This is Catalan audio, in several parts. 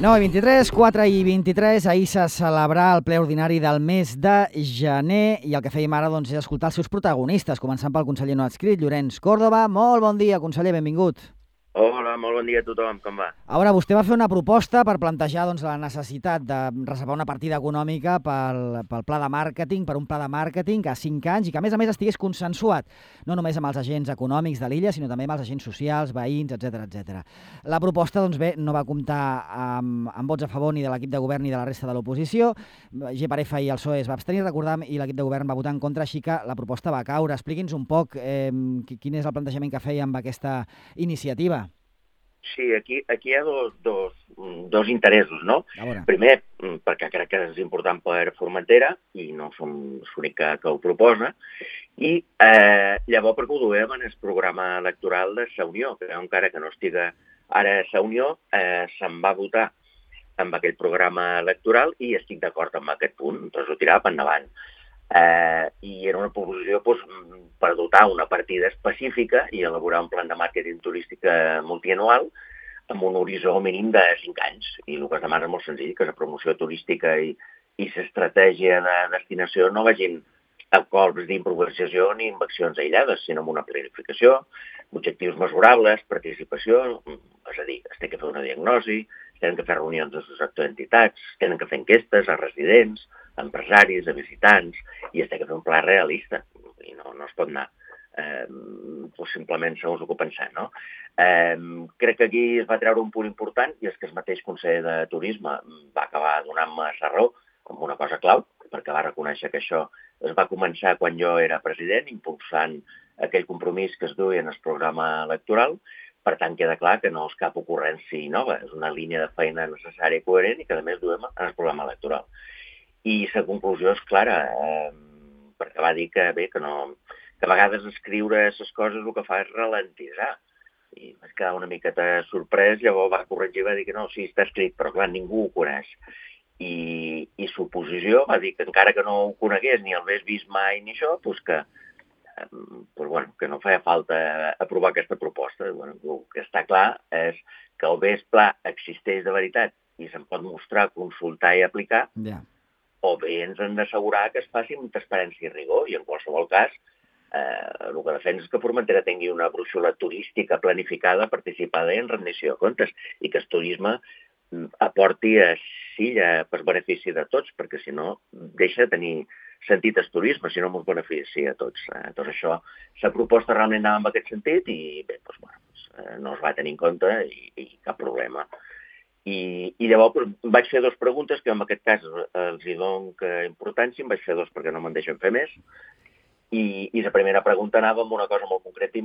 9:23, 4:23, ahir se celebrà el ple ordinari del mes de gener i el que fèiem ara és escoltar els seus protagonistes, començant pel conseller no adscrit, Llorenç Córdoba. Molt bon dia, conseller, benvingut. Hola, molt bon dia a tothom, com va? A veure, vostè va fer una proposta per plantejar la necessitat de reservar una partida econòmica pel pla de màrqueting, per un pla de màrqueting a 5 anys i que, a més, estigués consensuat, no només amb els agents econòmics de l'illa, sinó també amb els agents socials, veïns, etc. La proposta, doncs bé, no va comptar amb vots a favor ni de l'equip de govern ni de la resta de l'oposició. GPRF i el PSOE es va abstenir, recordam, i l'equip de govern va votar en contra, així que la proposta va caure. Expliqui'ns un poc quin és el plantejament que feia amb aquesta iniciativa. Sí, aquí hi ha dos interessos, no? Primer, perquè crec que és important per Formentera, i no som l'únic que ho proposa, i llavors perquè ho duem en el programa electoral de Sa Unió, que encara que no estiga ara a Sa Unió, se'n va votar amb aquell programa electoral i estic d'acord amb aquest punt, doncs ho tirava per endavant. I era una proposició per dotar una partida específica i elaborar un plan de màrqueting turístic multianual amb un horitzó mínim de 5 anys. I el que es demana és molt senzill, que la promoció turística i l'estratègia de destinació no vagin a colps d'improvisació ni inversions aïllades, sinó amb una planificació, objectius mesurables, participació, és a dir, es té que fer una diagnosi, es tenen que fer reunions de sector d'entitats, es tenen que fer enquestes a residents, a empresaris, a visitants, i es té que fer un pla realista, i no es pot anar simplement segons el que pensem, no? Crec que aquí es va treure un punt important i és que el mateix conseller de Turisme va acabar donant-me la raó amb una cosa clau, perquè va reconèixer que això es va començar quan jo era president, impulsant aquell compromís que es duia en el programa electoral. Per tant, queda clar que no és cap ocurrència nova, és una línia de feina necessària i coherent i que, a més, duem en el programa electoral. I la conclusió és clara, perquè va dir que a vegades escriure les coses el que fa és ralentitzar. I vaig quedar una miqueta sorprès, llavors va corregir i va dir que no, sí, està escrit, però clar, ningú ho coneix. I l'oposició va dir que encara que no ho conegués ni el hagués vist mai ni això, que no feia falta aprovar aquesta proposta. El que està clar és que el bé pla existeix de veritat i se'n pot mostrar, consultar i aplicar, o bé ens han d'assegurar que es faci amb transparència i rigor, i en qualsevol cas el que defensa és que Formentera tingui una brúixola turística planificada, participada i en rendició de comptes, i que el turisme aporti a Silla per benefici de tots, perquè si no deixa de tenir sentit el turisme, si no ens beneficia a tots. Doncs això, la proposta realment anava en aquest sentit i bé, no es va tenir en compte i cap problema. I llavors vaig fer dues preguntes, que en aquest cas els hi dono importància, en vaig fer dues perquè no me'n deixen fer més. I la primera pregunta anava amb una cosa molt concreta i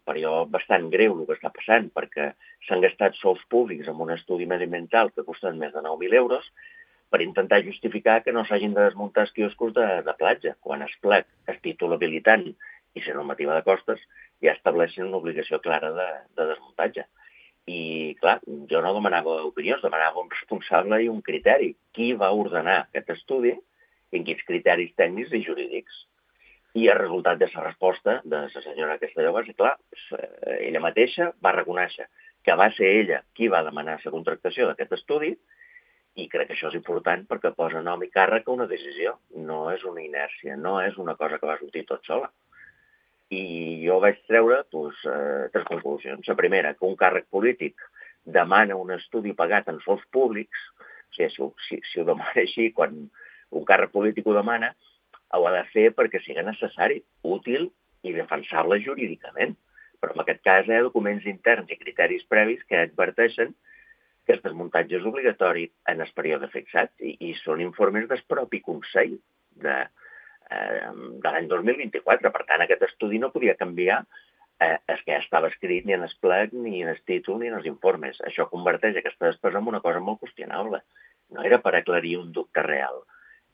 per jo bastant greu el que està passant, perquè s'han gastat sous públics en un estudi mediambiental que costen més de 9.000 euros per intentar justificar que no s'hagin de desmuntar els quioscos de platja, quan es plec, el títol habilitant i la normativa de costes ja estableixen una obligació clara de desmuntatge. I, clar, jo no demanava opinions, demanava un responsable i un criteri. Qui va ordenar aquest estudi i en quins criteris tècnics i jurídics? I el resultat de la resposta de la senyora Castelló va ser clar. Ella mateixa va reconèixer que va ser ella qui va demanar la contractació d'aquest estudi i crec que això és important perquè posa nom i càrrec a una decisió. No és una inèrcia, no és una cosa que va sortir tot sola. I jo vaig treure tres conclusions. La primera, que un càrrec polític demana un estudi pagat en sous públics, o sigui, si ho demana així, quan un càrrec polític ho demana, ho ha de fer perquè sigui necessari, útil i defensable jurídicament. Però en aquest cas hi ha documents interns i criteris previs que adverteixen que el desmuntatge és obligatori en el període fixat i són informes del propi Consell de l'any 2024. Per tant, aquest estudi no podia canviar el que ja estava escrit ni en el plec, ni en el títol, ni en els informes. Això converteix aquesta despesa en una cosa molt qüestionable. No era per aclarir un dubte real.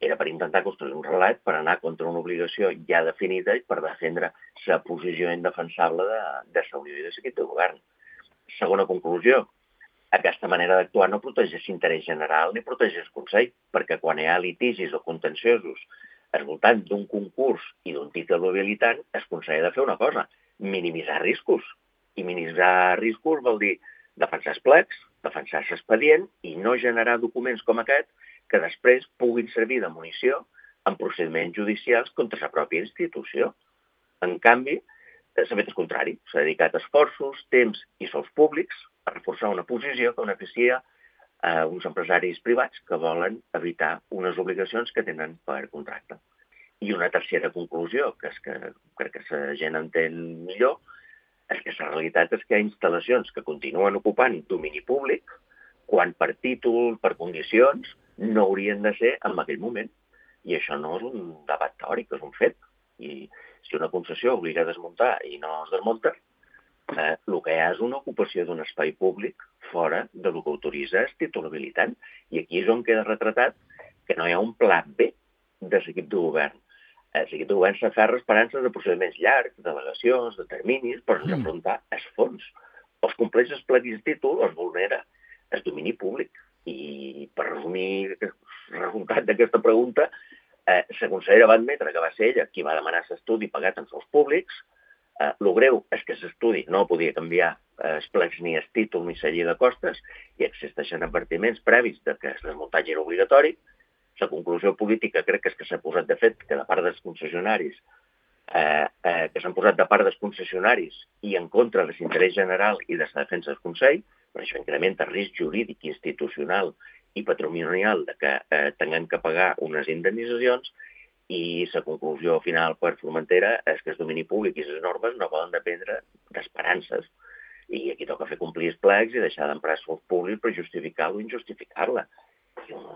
Era per intentar construir un relat per anar contra una obligació ja definida i per defendre la posició indefensable de Sa Unió i de l'equip de govern. Segona conclusió, aquesta manera d'actuar no protegeix l'interès general ni protegeix el Consell, perquè quan hi ha litigis o contenciosos al voltant d'un concurs i d'un títol habilitant, el Consell ha de fer una cosa, minimitzar riscos. I minimitzar riscos vol dir defensar els plecs, defensar l'expedient i no generar documents com aquest que després puguin servir de munició en procediments judicials contra la pròpia institució. En canvi, s'ha fet el contrari. S'ha dedicat esforços, temps i sous públics a reforçar una posició que beneficia a uns empresaris privats que volen evitar unes obligacions que tenen per contracte. I una tercera conclusió, que és que crec que la gent entén millor, és que la realitat és que hi ha instal·lacions que continuen ocupant domini públic quan per títol, per condicions, no haurien de ser en aquell moment. I això no és un debat teòric, és un fet. I si una concessió obliga a desmuntar i no es desmunta, el que hi ha és una ocupació d'un espai públic fora de lo que autoritza el títol habilitant. I aquí és on queda retratat que no hi ha un pla B de l'equip de govern. L'equip de govern s'aferra a esperances de procediments llargs, de delegacions, de terminis, però sense afrontar els fons. Els compleix els plecs de títol, els vulnera el domini públic. I per resumir el resultat d'aquesta pregunta, la consellera va admetre que va ser ella qui va demanar l'estudi pagat en sous públics. El greu és que l'estudi no podia canviar els plecs ni el títol ni la llei de costes i existeixen advertiments previs de que el desmuntatge era obligatori. La conclusió política crec que és que s'ha posat de fet que de part dels concessionaris que s'han posat de part dels concessionaris i en contra de l'interès general i de la defensa del Consell, però això incrementa el risc jurídic, institucional i patrimonial de que tinguem que pagar unes indemnitzacions i la conclusió final per Formentera és que el domini públic i les normes no poden dependre d'esperances i aquí toca fer complir els plecs i deixar d'emprar els públics per justificar o injustificar-la.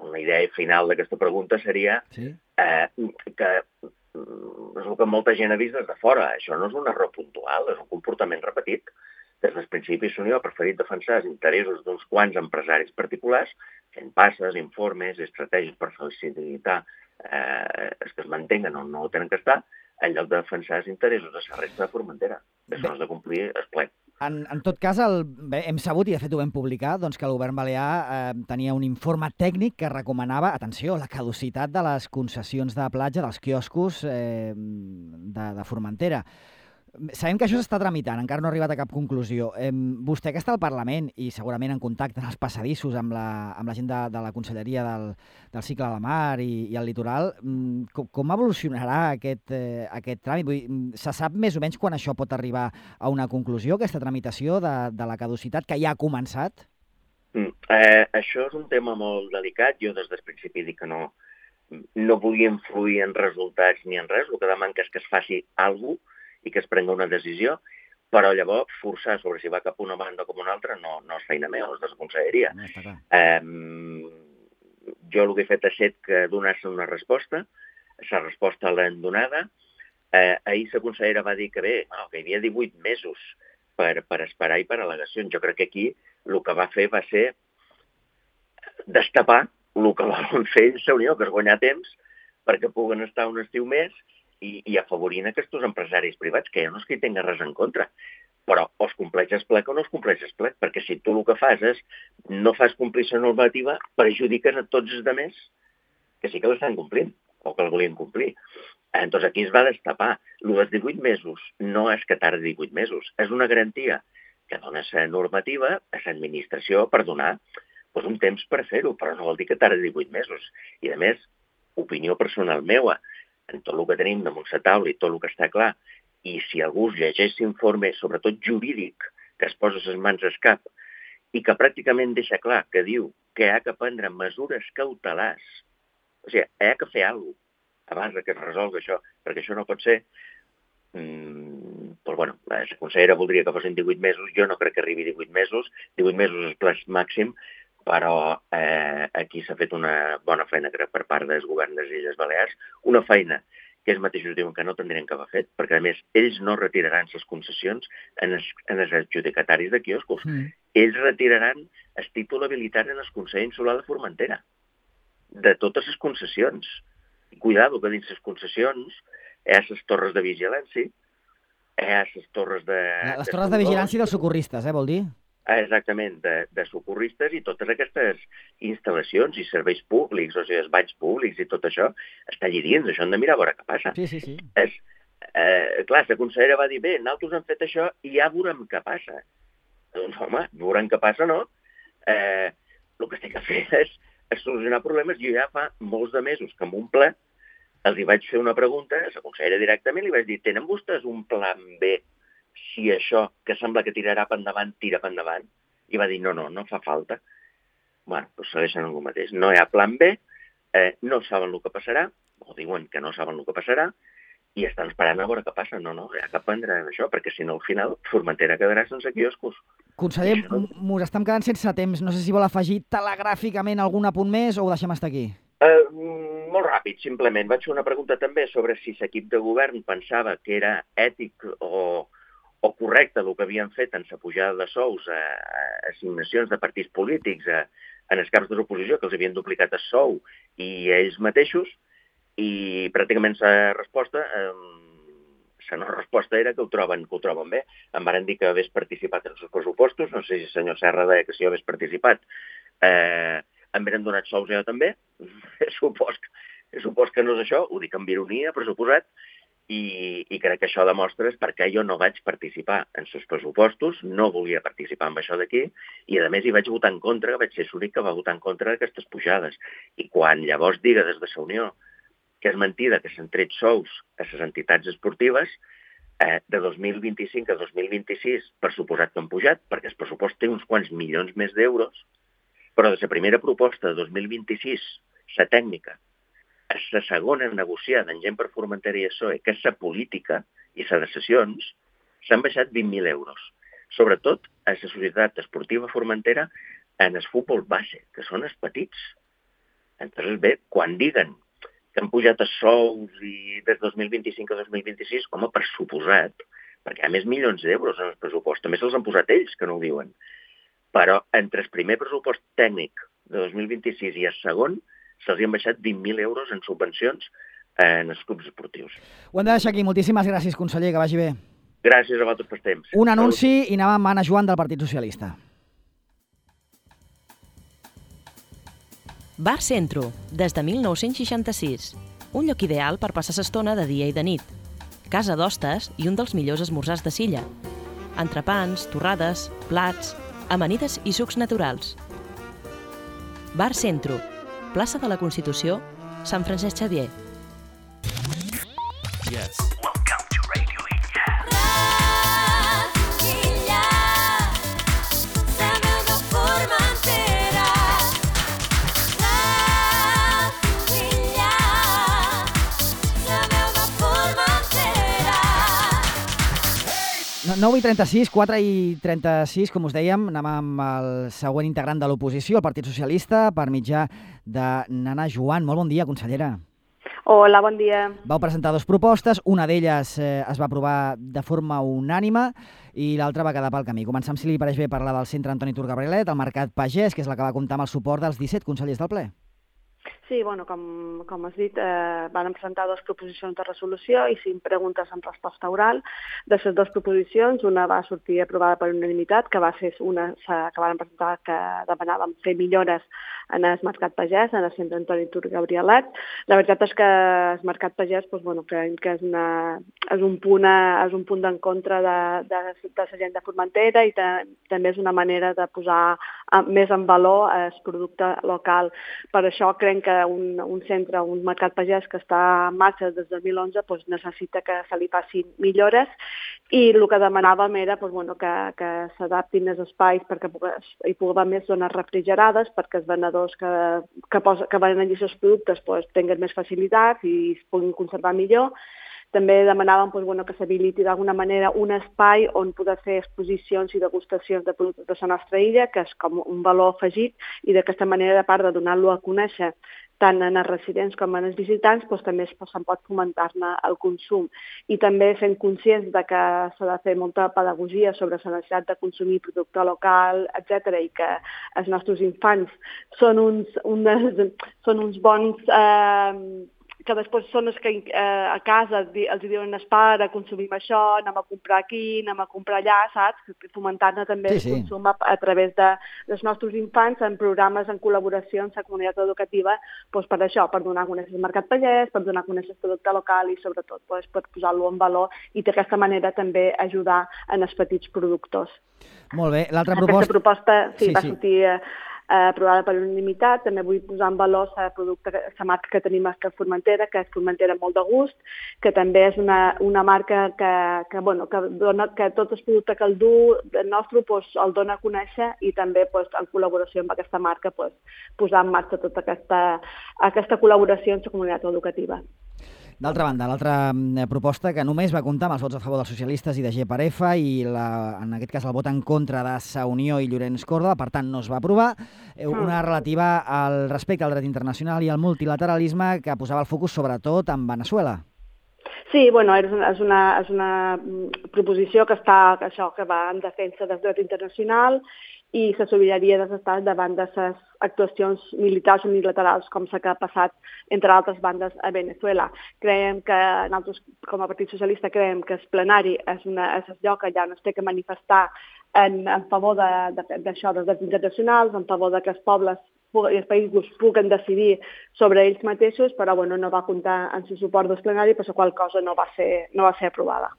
Una idea final d'aquesta pregunta seria que és el que molta gent ha vist des de fora. Això no és un error puntual, és un comportament repetit. Des dels principis l'Unió ha preferit defensar els interessos d'uns quants empresaris particulars, fent passes, informes, estratègies per facilitar els que es mantenguen on no tenen que estar, en lloc de defensar els interessos de la resta de Formentera. Això no és de complir el ple. En tot cas, hem sabut, i de fet ho vam publicar, doncs que el govern balear tenia un informe tècnic que recomanava, atenció, la caducitat de les concessions de platja dels quioscos de Formentera. Sabem que això s'està tramitant, encara no ha arribat a cap conclusió. Vostè que està al Parlament i segurament en contacte en els passadissos amb la gent de la Conselleria del Cicle de la Mar i el Litoral, com evolucionarà aquest tràmit? Vull dir, se sap més o menys quan això pot arribar a una conclusió, aquesta tramitació de la caducitat que ja ha començat? Això és un tema molt delicat. Jo des del principi dic que no volia influir en resultats ni en res. El que demano és que es faci alguna cosa i que es prengui una decisió, però llavors forçar sobre si va cap una banda o com una altra no és feina meva, és de la conselleria. Jo el que he fet ha estat que donar-se una resposta, la resposta l'hem donada. Ahir la consellera va dir que bé, que hi havia 18 mesos per esperar i per al·legacions. Jo crec que aquí el que va fer va ser destapar el que volen fer la Unió, que és guanyar temps perquè puguen estar un estiu més i afavorint aquests empresaris privats, que ja no és que hi tingui res en contra, però o es compleix el plec o no es compleix el plec, perquè si tu el que fas és no fas complir la normativa, perjudiques a tots els altres que sí que l'estan complint, o que el volien complir. Entonces aquí es va destapar. El dels 18 mesos no és que tardi 18 mesos, és una garantia que dona la normativa a l'administració per donar un temps per fer-ho, però no vol dir que tardi 18 mesos. I a més, opinió personal meva, en tot el que tenim damunt la taula i tot el que està clar, i si algú llegeix l'informe, sobretot jurídic, que es posa les mans al cap, i que pràcticament deixa clar que diu que hi ha que prendre mesures cautelars, o sigui, hi ha que fer alguna cosa abans que es resolgui això, perquè això no pot ser. Però, bueno, la consellera voldria que fossin 18 mesos, jo no crec que arribi 18 mesos, 18 mesos és el plaç màxim, però aquí s'ha fet una bona feina per part del govern de les Illes Balears, una feina que ells mateixos diuen que no tindrien que haver fet, perquè a més ells no retiraran les concessions en els adjudicataris de quioscos. Ells retiraran el títol habilitant en el Consell Insular de Formentera, de totes les concessions. I cuidado, que dins les concessions hi ha les torres de vigilància, hi ha les torres de... Les torres de vigilància dels socorristes, vol dir? Exactament, de socorristes i totes aquestes instal·lacions i serveis públics, o sigui, els banys públics i tot això, està allà dins, això hem de mirar a veure què passa. Sí. Clar, la consellera va dir, bé, nosaltres hem fet això i ja veurem què passa. Doncs, home, veurem què passa, no? el que estic a fer és solucionar problemes. Jo ja fa molts de mesos que en un ple els hi vaig fer una pregunta, a la consellera directament, li vaig dir, tenen vostès un plan B si això, que sembla que tirarà per endavant, tira per endavant? I va dir, no fa falta. Bueno, doncs segueixen el mateix. No hi ha plan B, no saben el que passarà, o diuen que no saben el que passarà, i estan esperant a veure què passa. No, hi ha que prendre això, perquè si no al final Formentera quedarà sense quioscos. Conseller, mos estem quedant sense temps. No sé si vol afegir telegràficament algun apunt més o ho deixem estar aquí? Molt ràpid, simplement. Vaig fer una pregunta també sobre si l'equip de govern pensava que era ètic o correcte el que havien fet en la pujada de sous a assignacions de partits polítics en els caps de l'oposició, que els havien duplicat el sou i ells mateixos, i pràcticament la resposta, la no resposta era que ho troben bé. Em van dir que hagués participat en els pressupostos, no sé si el senyor Serra deia que si hagués participat, em venen donat sous jo també, supos que no és això, ho dic amb ironia, per suposat, i crec que això demostra perquè jo no vaig participar en els pressupostos, no volia participar en això d'aquí, i a més hi vaig votar en contra, vaig ser l'únic que va votar en contra d'aquestes pujades. I quan llavors diga des de la Unió que és mentida que s'han tret sous a les entitats esportives, de 2025 a 2026, per suposat que han pujat, perquè el pressupost té uns quants milions més d'euros, però de la primera proposta de 2026, la tècnica, a la segona negociada en Gent per Formentera i PSOE, que és la política i les de sessions, s'han baixat 20.000 euros. Sobretot a la societat esportiva formentera en el futbol base, que són els petits. Entonces, bé, quan diguen que han pujat els sous i des de 2025 a 2026, home, per suposat, perquè hi ha més milions d'euros en el pressupost, també se'ls han posat ells, que no ho diuen. Però entre el primer pressupost tècnic de 2026 i el segon, se'ls han baixat 20.000 euros en subvencions en els clubs esportius. Ho hem de deixar aquí. Moltíssimes gràcies, conseller, que vagi bé. Gràcies a vosaltres pel temps. Un anunci i anem amb Anna Joan del Partit Socialista. Bar Centro, des de 1966. Un lloc ideal per passar l'estona de dia i de nit. Casa d'hostes i un dels millors esmorzars de Silla. Entrepans, torrades, plats, amanides i sucs naturals. Bar Centro, plaça de la Constitució, Sant Francesc Xavier. Yes. No, 9:36, 4:36, com us dèiem, anem amb el següent integrant de l'oposició, el Partit Socialista, per mitjà de Nana Joan. Molt bon dia, consellera. Hola, bon dia. Vau presentar dues propostes, una d'elles es va aprovar de forma unànime i l'altra va quedar pel camí. Comencem, si li pareix bé, parlar del centre Antoni Tur Gabrielet, el Mercat Pagès, que és la que va comptar amb el suport dels 17 consellers del ple. Sí, bueno, com has dit, van presentar dues proposicions de resolució i 5 preguntes en resposta oral. De les dues proposicions, una va sortir aprovada per unanimitat, que va ser una que van presentar que demanàvem fer millores en el Mercat Pagès, en el centre Antoni Tur Gabrielet. La veritat és que el Mercat Pagès, doncs, bueno, creiem que és un punt d'encontre de la gent de Formentera i també és una manera de posar més en valor el producte local. Per això creiem que un centre, un mercat pagès que està en marxa des del 2011, doncs necessita que se li facin millores i el que demanàvem era que s'adaptin els espais perquè hi pugui haver més zones refrigerades, perquè els venedors que venen allí els productes tinguin més facilitats i es puguin conservar millor. També demanàvem que s'habiliti d'alguna manera un espai on poder fer exposicions i degustacions de productes de la nostra illa, que és com un valor afegit, i d'aquesta manera, a part de donar-lo a conèixer tant en els residents com en els visitants, també se'n pot fomentar-ne el consum. I també fent conscients de que s'ha de fer molta pedagogia sobre la necessitat de consumir producte local, etc., i que els nostres infants són uns bons que després són els que a casa els diuen pare, consumim això, anem a comprar aquí, anem a comprar allà, saps? Fomentant-ne també el consum a través dels nostres infants en programes en col·laboració amb la comunitat educativa, doncs per això, per donar a conèixer el mercat pallès, per donar a conèixer el producte local i sobretot per posar-lo en valor i d'aquesta manera també ajudar en els petits productors. Molt bé. L'altra proposta... Aquesta proposta va sortir aprovada per unanimitat. També vull posar en valor la marca que tenim a Formentera, que és Formentera molt de gust, que també és una marca que dona que tots els productes que el du el nostre el dona a conèixer i també en col·laboració amb aquesta marca posar en marxa tota aquesta col·laboració amb la comunitat educativa. D'altra banda, l'altra proposta que només va comptar amb els vots a favor dels socialistes i de GPRF i en aquest cas el vot en contra de Sa Unió i Llorenç Córdoba, per tant no es va aprovar, una relativa al respecte al dret internacional i al multilateralisme que posava el focus sobretot en Veneçuela. Sí, és una proposició que va en defensa del dret internacional i la sobirania dels estats davant de les actuacions militars unilaterals com s'ha passat entre altres bandes a Veneçuela. Creiem que nosaltres, com a Partit Socialista, creiem que el plenari és el lloc allà on es té que manifestar en favor d'això, dels drets internacionals, en favor que els pobles i els països puguen decidir sobre ells mateixos, però no va comptar amb el suport del plenari, per la qual cosa no va ser aprovada.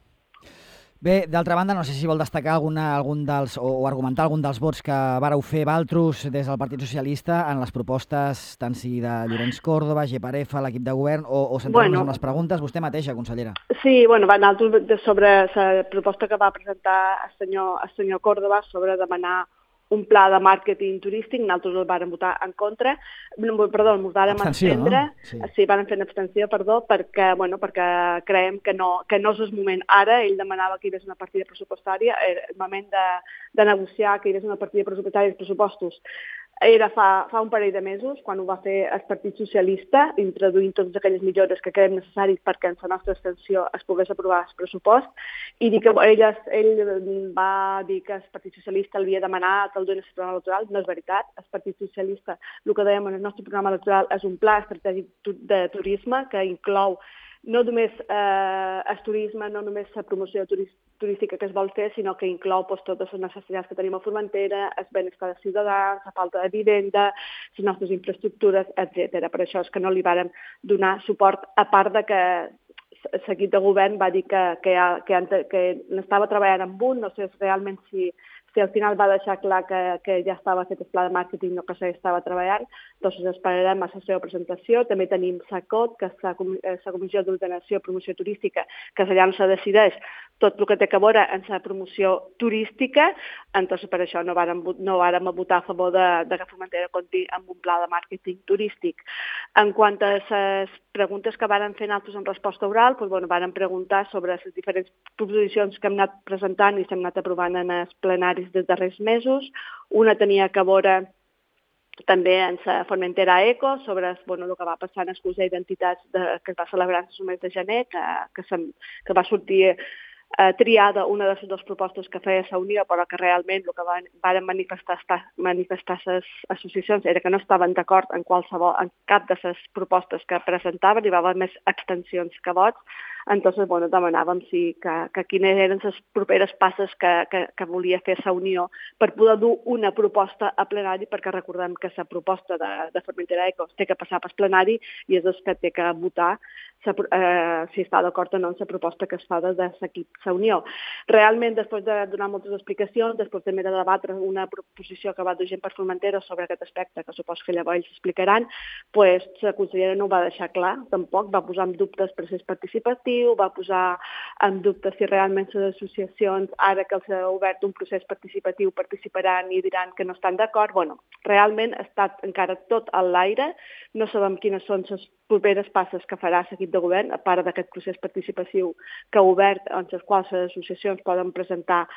Bé, d'altra banda, no sé si vol destacar algun dels o argumentar algun dels vots que vareu fer valtros des del Partit Socialista en les propostes tant si de Llorenç Córdoba, GPRF, l'equip de govern o centrar-nos en les preguntes, vostè mateixa, consellera. Sí, nosaltres sobre la proposta que va presentar el senyor Córdoba sobre demanar un pla de màrqueting turístic, nosaltres el vàrem votar en contra, ens vàrem abstendre, vàrem fer una abstenció, perquè creiem que no és el moment ara. Ell demanava que hi hagués una partida pressupostària, el moment de negociar que hi hagués una partida pressupostària dels pressupostos era fa un parell de mesos, quan ho va fer el Partit Socialista, introduint totes aquelles millores que creiem necessaris perquè en la nostra extensió es pogués aprovar el pressupost, i dir que ell va dir que el Partit Socialista havia demanat que el donés el programa electoral. No és veritat. El Partit Socialista, el que dèiem en el nostre programa electoral, és un pla estratègic de turisme que inclou no només el turisme, no només la promoció turística que es vol fer, sinó que inclou totes les necessitats que tenim a Formentera, el benestar dels ciutadans, la falta de vivenda, les nostres infraestructures, etc. Per això és que no li vàrem donar suport, a part de que l'equip de govern va dir que n'estava treballant amb un, no sé realment si al final va deixar clar que ja estava fet el pla de màrqueting o que s'estava treballant, doncs esperarem a la seva presentació. També tenim SACOT, que és la Comissió d'Ordenació i Promoció Turística, que allà no se decideix tot el que té a veure en la promoció turística, entonces per això no vàrem votar a favor de que Formentera compti amb un pla de màrqueting turístic. En quant a les preguntes que vàrem fer nosaltres en resposta oral, vàrem preguntar sobre les diferents proposicions que hem anat presentant i s'hem anat aprovant en els plenaris dels darrers mesos. Una tenia a veure també en la Formentera Eco, sobre el que va passar en el Consell d'Entitats que es va celebrar el mes de gener, que va sortir triada una de les dues propostes que feia la Unió, però que realment el que van manifestar les associacions era que no estaven d'acord en cap de les propostes que presentaven, hi va haver més abstencions que vots. Entonces, demanàvem que quines eren les properes passes que volia fer la Unió per poder dur una proposta a plenari, perquè recordem que la proposta de Formentera Eco té que passar pel plenari i és el que té que votar si està d'acord o no en la proposta que es fa des de l'equip la Unió. Realment, després de donar moltes explicacions, després també de debatre una proposició que va dur gent per Formentera sobre aquest aspecte, que suposo que llavors ells explicaran, la consellera no ho va deixar clar, tampoc, va posar en dubte el procés participatiu, va posar en dubte si realment les associacions, ara que els ha obert un procés participatiu, participaran i diran que no estan d'acord. Realment ha estat encara tot a l'aire, no sabem quines són les properes passes que farà l'equip de govern, a part d'aquest procés participatiu que ha obert, en les quals les associacions poden presentar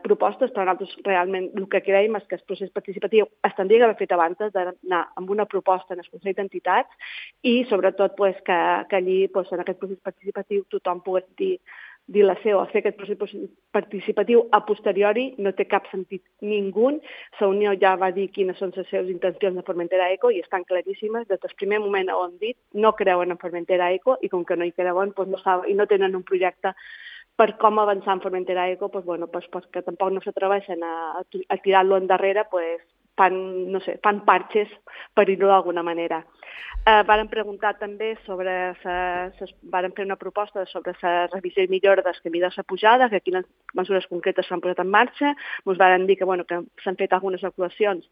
propostes, però nosaltres realment el que creiem és que el procés participatiu es tindria que haver fet abans d'anar amb una proposta en el Consell d'Entitats i sobretot que allí en aquest procés participatiu tothom pogués dir dilació a fer aquest procés participatiu a posteriori no té cap sentit ningú. La Unió ja va dir quines són les seves intencions de Formentera Eco i estan claríssimes. Des del primer moment ho han dit, no creuen en Formentera Eco i com que no hi creuen i no tenen un projecte per com avançar en Formentera Eco, que tampoc no s'atreveixen a tirar-lo endarrere, fan parxes per dir-ho d'alguna manera. Varen preguntar també varen fer una proposta sobre la revisió i millora del camí de la pujada, que quines mesures concretes s'han posat en marxa. Ens varen dir que s'han fet algunes actuacions,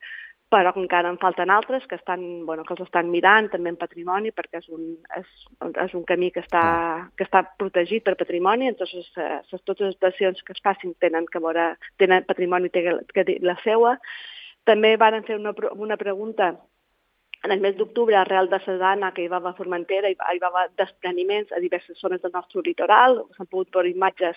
però encara en falten altres que els estan mirant també en patrimoni, perquè és un camí que està protegit per patrimoni, entonces totes les accions que es facin tenen patrimoni, té la seua. També varen fer una pregunta en el mes d'octubre, arrel de la dana que hi va a Formentera, hi va haver despreniments a diverses zones del nostre litoral, s'han pogut veure imatges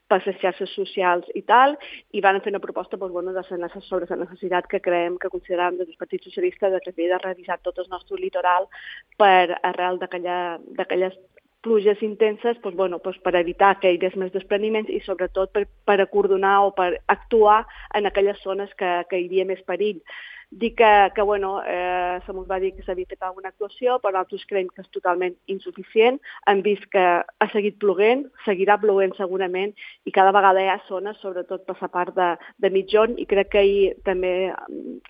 per les xarxes socials i tal, i van fer una proposta sobre la necessitat que consideràvem des del Partit Socialista de que havia de revisar tot el nostre litoral per arrel d'aquelles pluges intenses, per evitar que hi hagués més despreniments i sobretot per acordonar o per actuar en aquelles zones que hi havia més perill. Dic que se m'ho va dir que s'havia fet alguna actuació, però nosaltres creiem que és totalment insuficient. Hem vist que ha seguit ploguent, seguirà ploguent segurament, i cada vegada hi ha zones, sobretot per la part de mitjon, i crec que ahir també a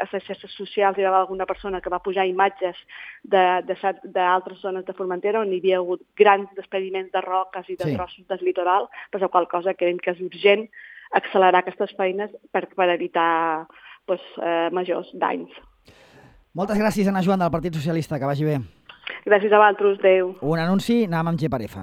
les xarxes socials hi va haver alguna persona que va pujar imatges d'altres zones de Formentera on hi havia hagut grans despreniments de roques i de trossos del litoral, per la qual cosa creiem que és urgent accelerar aquestes feines per evitar majors danys. Moltes gràcies, Ana Joan, del Partit Socialista. Que vagi bé. Gràcies a vosaltres. Adéu. Un anunci, anem amb GPRF.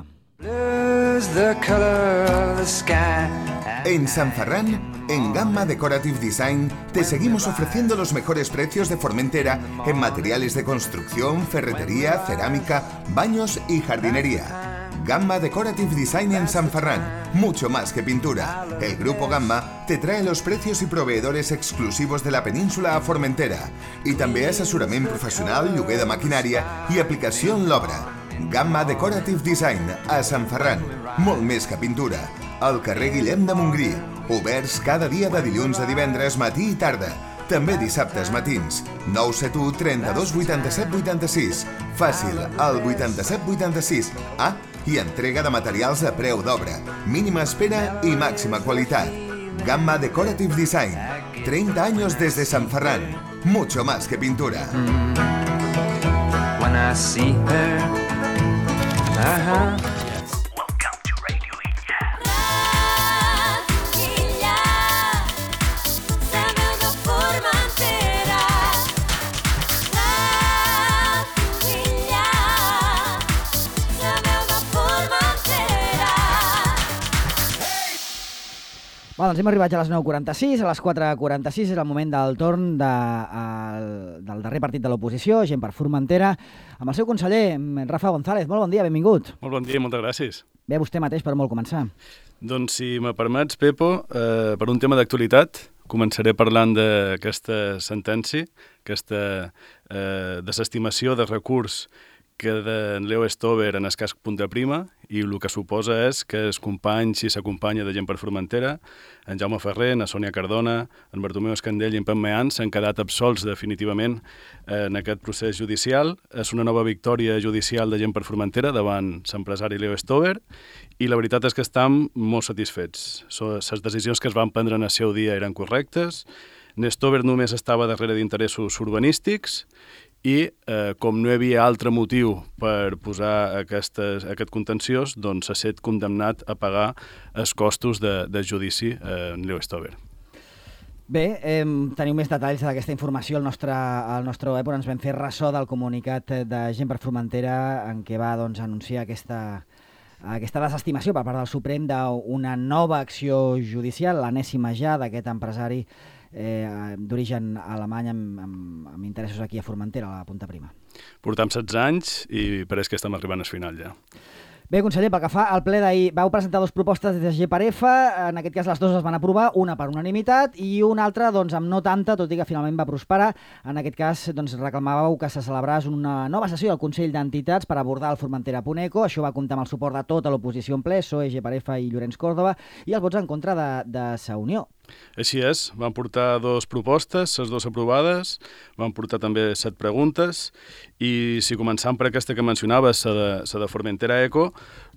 En San Ferran, en Gamma Decorative Design, te seguimos ofreciendo los mejores precios de Formentera en materiales de construcción, ferretería, cerámica, baños y jardinería. Gamma Decorative Design en San Ferran, mucho más que pintura. El Grupo Gamma te trae los precios y proveedores exclusivos de la península a Formentera i també assessorament professional, lloguer de maquinària i aplicació en l'obra. Gamma Decorative Design a Sant Ferran, molt més que pintura. Al carrer Guillem de Montgrí, oberts cada dia de dilluns a divendres, matí i tarda. També dissabtes matins, 971 32 87 86. Fàcil, al 87 86. I entrega de materials a preu d'obra, mínima espera y máxima qualitat. Gamma Decorative Design, 30 años desde San Ferran, mucho más que pintura. When I see her, Welcome to Radio Illa. Doncs hem arribat ja a les 9:46, a les 4:46 és el moment del torn del darrer partit de l'oposició, Gent per Formentera, amb el seu conseller, Rafa González. Molt bon dia, benvingut. Molt bon dia, moltes gràcies. Ve vostè mateix per molt començar. Doncs si me permets, Pepo, per un tema d'actualitat, començaré parlant d'aquesta sentència, aquesta desestimació de recurs que d'en Leo Stover en el cas Punta Prima, i el que suposa és que els companys i s'acompanya de Gent per Formentera, en Jaume Ferrer, en Sònia Cardona, en Bartomeu Escandell i en Pep Meant s'han quedat absolts definitivament en aquest procés judicial. És una nova victòria judicial de Gent per Formentera davant l'empresari Leo Stover, i la veritat és que estem molt satisfets. Les decisions que es van prendre en el seu dia eren correctes, Stover només estava darrere d'interessos urbanístics, i com no hi havia altre motiu per posar aquest contenciós, doncs s'ha estat condemnat a pagar els costos de judici en Leo Stover. Bé, teniu més detalls d'aquesta informació al nostre web, on ens vam fer ressò del comunicat de Gent per Formentera en què va anunciar aquesta desestimació per part del Suprem d'una nova acció judicial, l'enèsima ja d'aquest empresari d'origen alemany amb interessos aquí a Formentera, a la Punta Prima. Portam 16 anys i pareix que estem arribant al final ja. Bé, conseller, pel que fa al ple d'ahir, vau presentar dues propostes des de GPRF, en aquest cas les dues es van aprovar, una per unanimitat i una altra doncs, amb no tanta, tot i que finalment va prosperar. En aquest cas doncs, reclamàveu que se celebrés una nova sessió del Consell d'Entitats per abordar el Formentera.eco. Això va comptar amb el suport de tota l'oposició en ple, PSOE, GPRF i Llorenç Córdoba, i els vots en contra de Sa Unió. Així és, van portar dues propostes, les dues aprovades, van portar també 7 preguntes, i si començam per aquesta que mencionaves, la de Formentera.eco,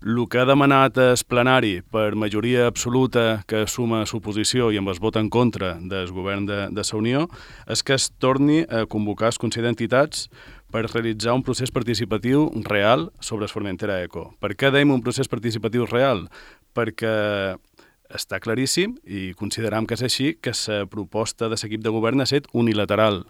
el que ha demanat el plenari per majoria absoluta que suma l'oposició i amb el vot en contra del govern de Sa Unió és que es torni a convocar el Consell d'Entitats per realitzar un procés participatiu real sobre el Formentera.eco. Per què dèiem un procés participatiu real? Perquè està claríssim, i consideram que és així, que la proposta de l'equip de govern ha estat unilateral,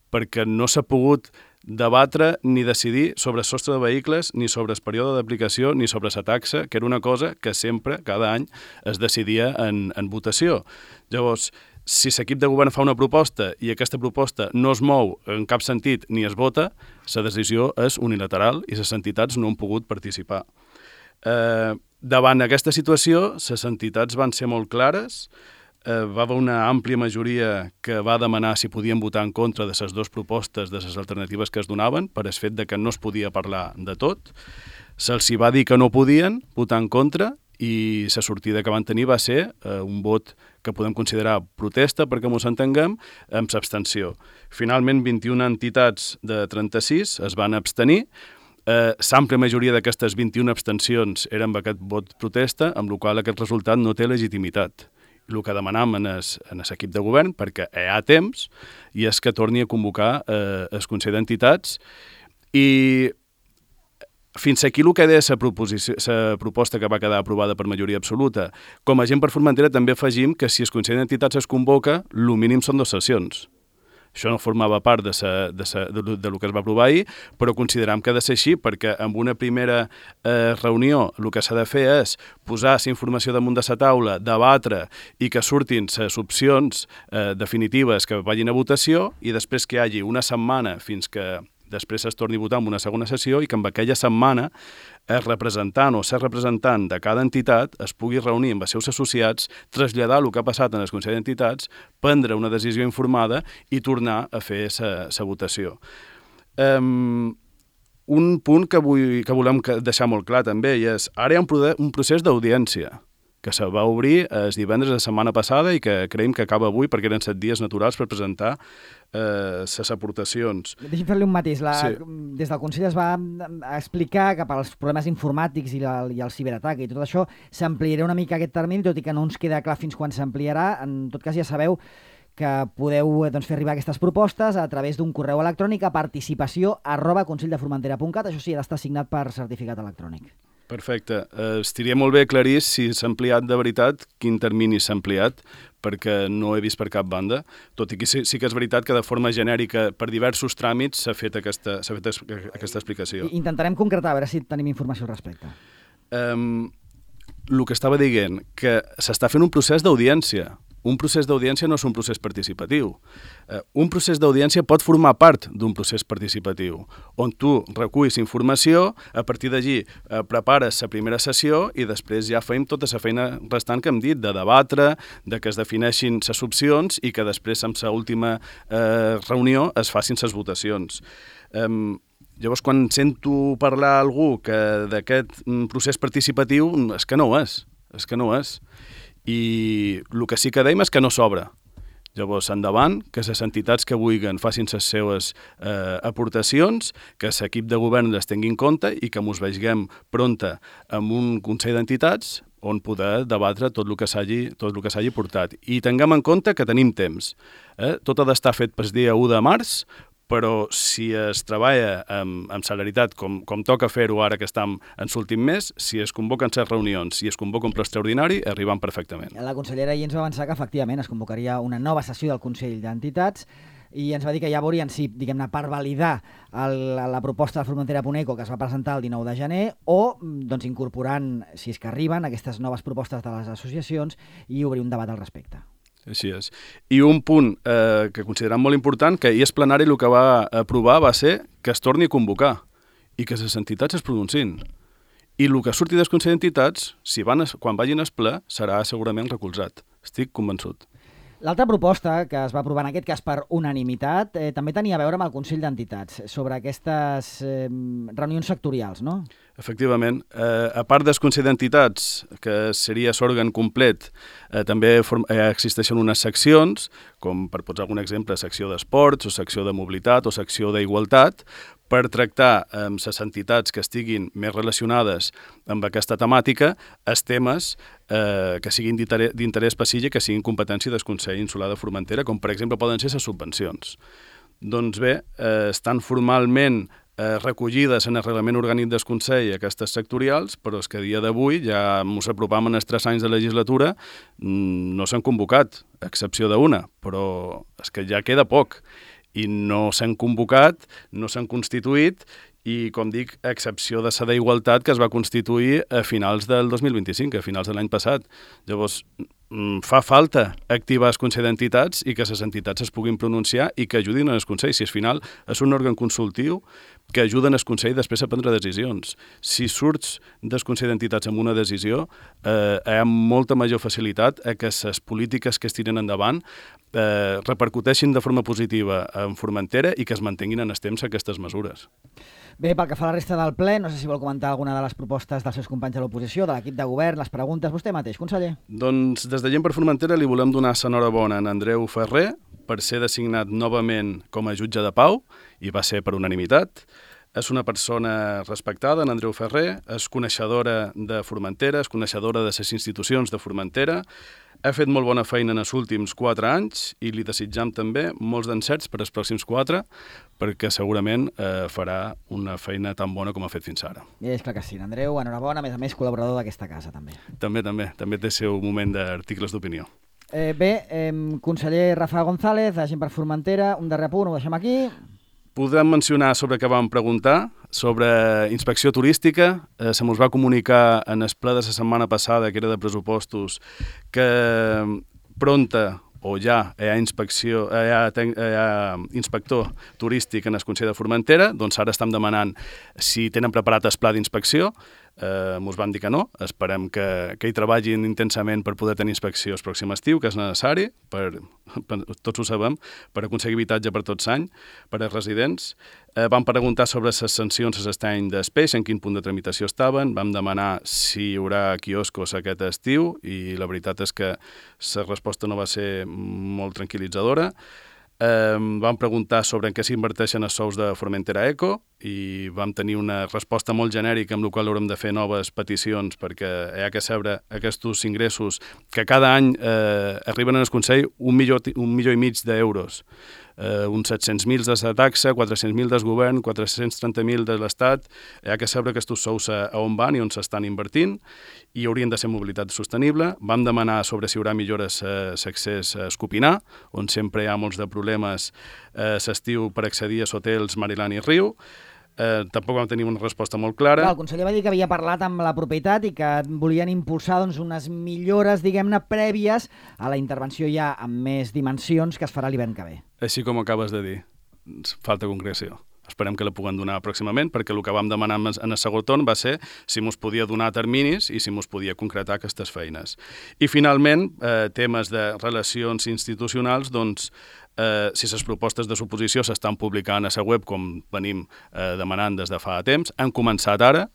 perquè no s'ha pogut debatre ni decidir sobre el sostre de vehicles, ni sobre el període d'aplicació, ni sobre la taxa, que era una cosa que sempre, cada any, es decidia en votació. Llavors, si l'equip de govern fa una proposta i aquesta proposta no es mou en cap sentit ni es vota, la decisió és unilateral i les entitats no han pogut participar. Davant aquesta situació, les entitats van ser molt clares, va haver una àmplia majoria que va demanar si podien votar en contra de les dues propostes, de les alternatives que es donaven, per el fet de que no es podia parlar de tot. Se'ls va dir que no podien votar en contra i la sortida que van tenir va ser un vot que podem considerar protesta, perquè ens entenguem, amb l'abstenció. Finalment, 21 entitats de 36 es van abstenir. L'àmplia majoria d'aquestes 21 abstencions eren amb aquest vot protesta, amb la qual aquest resultat no té legitimitat. El que demanam en l'equip de govern, perquè hi ha temps, i és que torni a convocar el Consell d'Entitats. I fins aquí el que deia la proposta que va quedar aprovada per majoria absoluta. Com a Gent per Formentera també afegim que si el Consell d'Entitats es convoca, el mínim són 2 sessions. Això no formava part del que es va aprovar ahir, però consideram que ha de ser així, perquè en una primera reunió el que s'ha de fer és posar la informació damunt de la taula, debatre i que surtin les opcions definitives que vagin a votació, i després que hi hagi una setmana fins que després es torni a votar en una segona sessió i que en aquella setmana el representant o ser representant de cada entitat es pugui reunir amb els seus associats, traslladar el que ha passat en el Consell d'Entitats, prendre una decisió informada i tornar a fer la votació. Un punt que volem deixar molt clar també és ara hi ha un procés d'audiència que se va obrir el divendres de la setmana passada i que creiem que acaba avui perquè eren 7 dies naturals per presentar les aportacions. Deixi'm fer-li un matís. Des del Consell es va explicar que pels problemes informàtics i el ciberatac i tot això s'ampliarà una mica aquest termini, tot i que no ens queda clar fins quan s'ampliarà. En tot cas ja sabeu que podeu fer arribar aquestes propostes a través d'un correu electrònic a participació@conselldeformentera.cat. Això sí, ha d'estar signat per certificat electrònic. Perfecte. Estaria molt bé aclarir si s'ha ampliat de veritat, quin termini s'ha ampliat, perquè no he vist per cap banda, tot i que sí que és veritat que de forma genèrica per diversos tràmits s'ha fet aquesta explicació. Intentarem concretar, a veure si tenim informació al respecte. El que estava dient, que s'està fent un procés d'audiència. Un procés d'audiència no és un procés participatiu. Un procés d'audiència pot formar part d'un procés participatiu, on tu reculls informació, a partir d'allí prepares la primera sessió i després ja fem tota la feina restant que hem dit, de debatre, de que es defineixin les opcions i que després, en l'última reunió, es facin les votacions. Llavors, quan sento parlar a algú d'aquest procés participatiu, és que no ho és. I el que sí que dèiem és que no s'obre. Llavors, endavant, que les entitats que vulguin facin les seues aportacions, que l'equip de govern les tingui en compte i que ens veiem pronta amb un Consell d'Entitats on poder debatre tot el que s'hagi portat. I tinguem en compte que tenim temps. Tot ha d'estar fet pel dia 1 de març, però si es treballa amb celeritat, com toca fer-ho ara que estem en l'últim mes, si es convoquen les reunions i es convoca un ple extraordinari, arribem perfectament. La consellera ahir ens va avançar que efectivament es convocaria una nova sessió del Consell d'Entitats i ens va dir que ja veurien si, diguem-ne, per validar la proposta de Formentera.eco que es va presentar el 19 de gener o incorporant, si és que arriben, aquestes noves propostes de les associacions i obrir un debat al respecte. Així és. I un punt que considerem molt important, que ahir el plenari el que va aprovar va ser que es torni a convocar i que les entitats es pronunciïn. I el que surti del Consell d'Entitats, quan vagin al ple, serà segurament recolzat. Estic convençut. L'altra proposta, que es va aprovar en aquest cas per unanimitat, també tenia a veure amb el Consell d'Entitats, sobre aquestes reunions sectorials, no? Efectivament. A part del Consell d'Entitats, que seria l'òrgan complet, també existeixen unes seccions, com per posar algun exemple, secció d'esports, o secció de mobilitat, o secció d'igualtat, per tractar amb les entitats que estiguin més relacionades amb aquesta temàtica els temes que siguin d'interès específic, que siguin competència del Consell Insular de Formentera, com per exemple poden ser les subvencions. Doncs bé, estan formalment recollides en el reglament orgànic del Consell aquestes sectorials, però és que a dia d'avui, ja ens apropam en els 3 anys de legislatura, no s'han convocat, a excepció d'una, però és que ja queda poc. I no s'han convocat, no s'han constituït, i, com dic, a excepció de la d'Igualtat, que es va constituir a finals del 2025, a finals de l'any passat. Llavors, fa falta activar el Consell d'Entitats i que les entitats es puguin pronunciar i que ajudin al Consell. Si al final és un òrgan consultiu que ajuden al Consell després a prendre decisions. Si surts del Consell d'Entitats amb una decisió, hi ha molta major facilitat a que les polítiques que es tiren endavant repercuteixin de forma positiva en Formentera i que es mantinguin en el temps aquestes mesures. Bé, pel que fa a la resta del ple, no sé si vol comentar alguna de les propostes dels seus companys de l'oposició, de l'equip de govern, les preguntes. Vostè mateix, conseller. Doncs des de Gent per Formentera li volem donar l'enhorabona a Andreu Ferrer per ser designat novament com a jutge de pau, i va ser per unanimitat. És una persona respectada, en Andreu Ferrer, és coneixedora de Formentera, és coneixedora de les institucions de Formentera, ha fet molt bona feina en els últims 4 anys i li desitjam també molts d'encerts per als pròxims 4, perquè segurament farà una feina tan bona com ha fet fins ara. I és clar que sí, Andreu, enhorabona, a més col·laborador d'aquesta casa, també. També té el seu moment d'articles d'opinió. Bé, conseller Rafa González, de Gent per Formentera, un darrer punt, ho deixem aquí. Podem mencionar sobre què vam preguntar, sobre inspecció turística. Se mos va comunicar en el ple de la setmana passada, que era de pressupostos, que pronta o ja hi ha inspector turístic en el Consell de Formentera, doncs ara estem demanant si tenen preparat el pla d'inspecció. Mos van dir que no, esperem que hi treballin intensament per poder tenir inspecció el pròxim estiu, que és necessari, tots ho sabem, per aconseguir habitatge per tots l'any, per als residents. Vam preguntar sobre les sancions a l'estany d'Espeix, en quin punt de tramitació estaven, vam demanar si hi haurà quioscos aquest estiu, i la veritat és que la resposta no va ser molt tranquil·litzadora. Vam preguntar sobre en què s'inverteixen els sous de Formentera Eco i vam tenir una resposta molt genèrica amb la qual haurem de fer noves peticions perquè hi ha que saber aquests ingressos que cada any arriben al Consell 1,5 milió d'euros. Uns 700.000 de la taxa, 400.000 del govern, 430.000 de l'Estat. Hi ha que saber aquests sous a on van i on s'estan invertint i haurien de ser mobilitat sostenible. Vam demanar sobre si hi haurà millores a l'accés a Escopinar, on sempre hi ha molts de problemes l'estiu per accedir a hotels Mariland i Riu. Tampoc vam tenir una resposta molt clara. El conseller va dir que havia parlat amb la propietat i que volien impulsar unes millores, diguem-ne, prèvies a la intervenció ja amb més dimensions que es farà l'hivern que ve. Així com acabes de dir, falta concreció. Esperem que la puguem donar pròximament, perquè el que vam demanar en el segon torn va ser si mos podia donar terminis i si mos podia concretar aquestes feines. I finalment, temes de relacions institucionals, doncs, si les propostes de suposició s'estan publicant a la web, com venim demanant des de fa temps, han començat ara,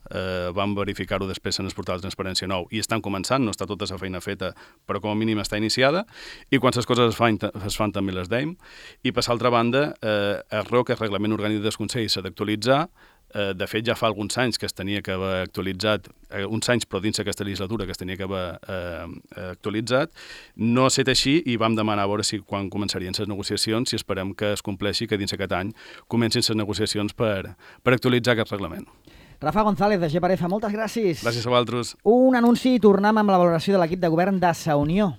vam verificar-ho després en el portal de Transparència Nou, i estan començant, no està tota la feina feta, però com a mínim està iniciada, i quan les coses es fan també les deim. I per l'altra banda, el ROC, el Reglament Orgànic del Consell, s'ha d'actualitzar. De fet, ja fa alguns anys que es tenia que haver actualitzat, uns anys però dins aquesta legislatura que es tenia que haver actualitzat. No ha estat així i vam demanar a veure si quan començarien les negociacions, si esperem que es compleixi, que dins aquest any comencin les negociacions per actualitzar aquest reglament. Rafa González, de GPRF, moltes gràcies. Gràcies a vosaltres. Un anunci i tornem amb la valoració de l'equip de govern de Sa Unió.